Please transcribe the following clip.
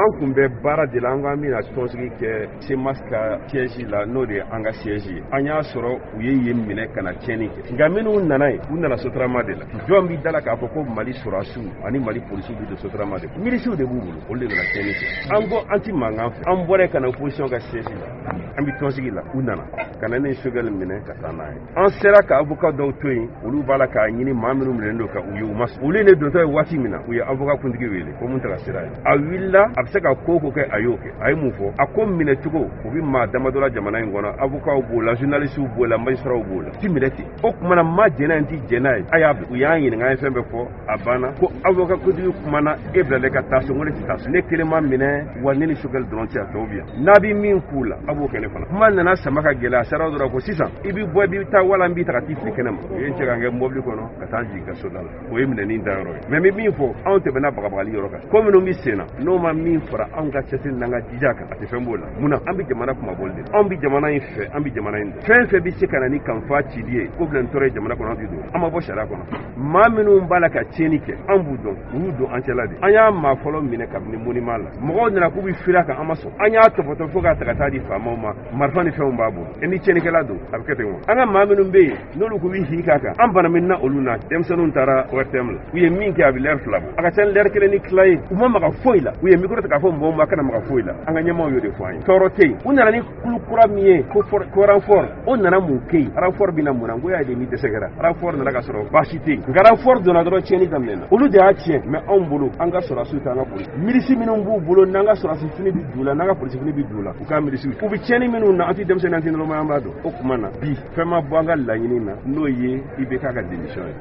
An kun bɛ baara de la, an ko an bɛna tɔnsigi kɛ CMAS ka siège la, n'o de ye an ka siège ye. An y'a sɔrɔ u ye yen minɛ ka na tiɲɛni kɛ, nka minnu nana yen, u nana Sotrama de la. Jɔn b'i da la k'a fɔ ko Mali sɔrɔdasiw ani Mali polisiw bɛ don Sotrama de? Milisiw de b'u bolo, olu de nana tiɲɛni kɛ. An ko an ti mankan fɛ, an bɔra ka na opposition ka siège la, an bɛ tɔnsigi la, u nana ka na ne Choguel minɛ ka taa n'a ye. An sera ka avocat dɔw to yen, olu b'a la k'a ɲini maa minnu minɛnen don ka u ye, u ma sɔn. Olu ne dontɔ ye waati min na, u ye avocat kuntigi wele ko mun taga sira ye. A wulila, a bɛ se ka ko o ko kɛ, a y'o kɛ. A ye mun fɔ? A ko minɛcogo u bɛ maa damadɔ la jamana in kɔnɔ, avocats b'o la, journalistes b'o la, magistrats b'o la, ti minɛ ten. O tuma na ma jɛn'a ye, n ti jɛn n'a ye, a y'a bila. U y'an ɲininka, an ye fɛn bɛɛ fɔ, a banna. Ko avocat kuntigi kumana, e bilalen ka taa so. N ko ne tɛ taa so, ne kelen ma minɛ wa, ne ni Choguel dɔrɔn tɛ, a tɔw bɛ yan. N'a bɛ min k'u la, a b'o kɛ ne fana. Kuma nana sama ka gɛlɛya, a sera dɔrɔn ko sisan i bɛ bɔ, i bɛ taa wala n b'i ta ka t'i fili kɛnɛ ma. U ye n cɛ ka n kɛ mobili kɔnɔ ka taa jigin ka so da la. O ye minɛni dayɔrɔ ye. Mais n bɛ min fɔ, anw tɛmɛna bagabagali yɔrɔ kan. Ko minnu bɛ sen na, n'o ma min fara anw ka cɛsiri n'an ka jija kan, a tɛ fɛn b'o la. Munna? An bɛ jamana kumabɔli de, anw bɛ jamana in fɛ, an bɛ jamana in dɔn. Fɛn fɛn bɛ se ka na ni kanfa cili ye, ko bila nin tɔɔrɔ ye jamana kɔnɔ, an tɛ don, an ma bɔ sariya kɔnɔ. Maa minnu b'a la ka tiɲɛni kɛ, an b'u dɔn, u y'u don an cɛla de. An y'a maa fɔlɔ minɛ kabini monument la, mɔgɔw nana k'u bɛ fili a kan, an ma sɔn. An y'a tɔpɔtɔ fo k'a ta ka taa di faamaw ma, marifa ni fɛnw b'a bolo. E ni tiɲɛnikɛla don, a bɛ kɛ ten wa? An ka maa minnu bɛ yen n'olu k'u bɛ hi k'a kan, an bana min na olu na. Denmisɛnninw taara ORTM la, u ye min kɛ, a bɛ lɛri 2 bɔ, a ka ca ni lɛri 1 ni tila ye. U ma maga foyi la. U ye micro ta k'a fɔ mɔgɔw ma kana maga foyi la. An ka ɲɛmaaw y'o de fɔ an ye, tɔɔrɔ tɛ yen. U nana ni kulu kura min ye ko renfort, o nana mun kɛ yen? Renfort bɛ na mun na? N ko y'a ye ni dɛsɛ kɛra, renfort nana ka sɔrɔ baasi tɛ yen. Nka renfort donna dɔrɔn, tiɲɛni daminɛna. Olu de y'a tiɲɛ. Mais anw bolo, an ka sɔrɔdasiw tɛ, an ka polisi milisi minnu b'u bolo, n'an ka sɔrɔdasi fini bɛ d'u la, n'an ka polisi fini bɛ d'u la, u ka milisiw u bɛ tiɲɛni minnu na, an tɛ denmisɛnnin, an tɛ nɔrɔma, an b'a dɔn. O tuma na bi, fɛn ma bɔ an ka laɲini na, n'o ye IBK ka démission ye.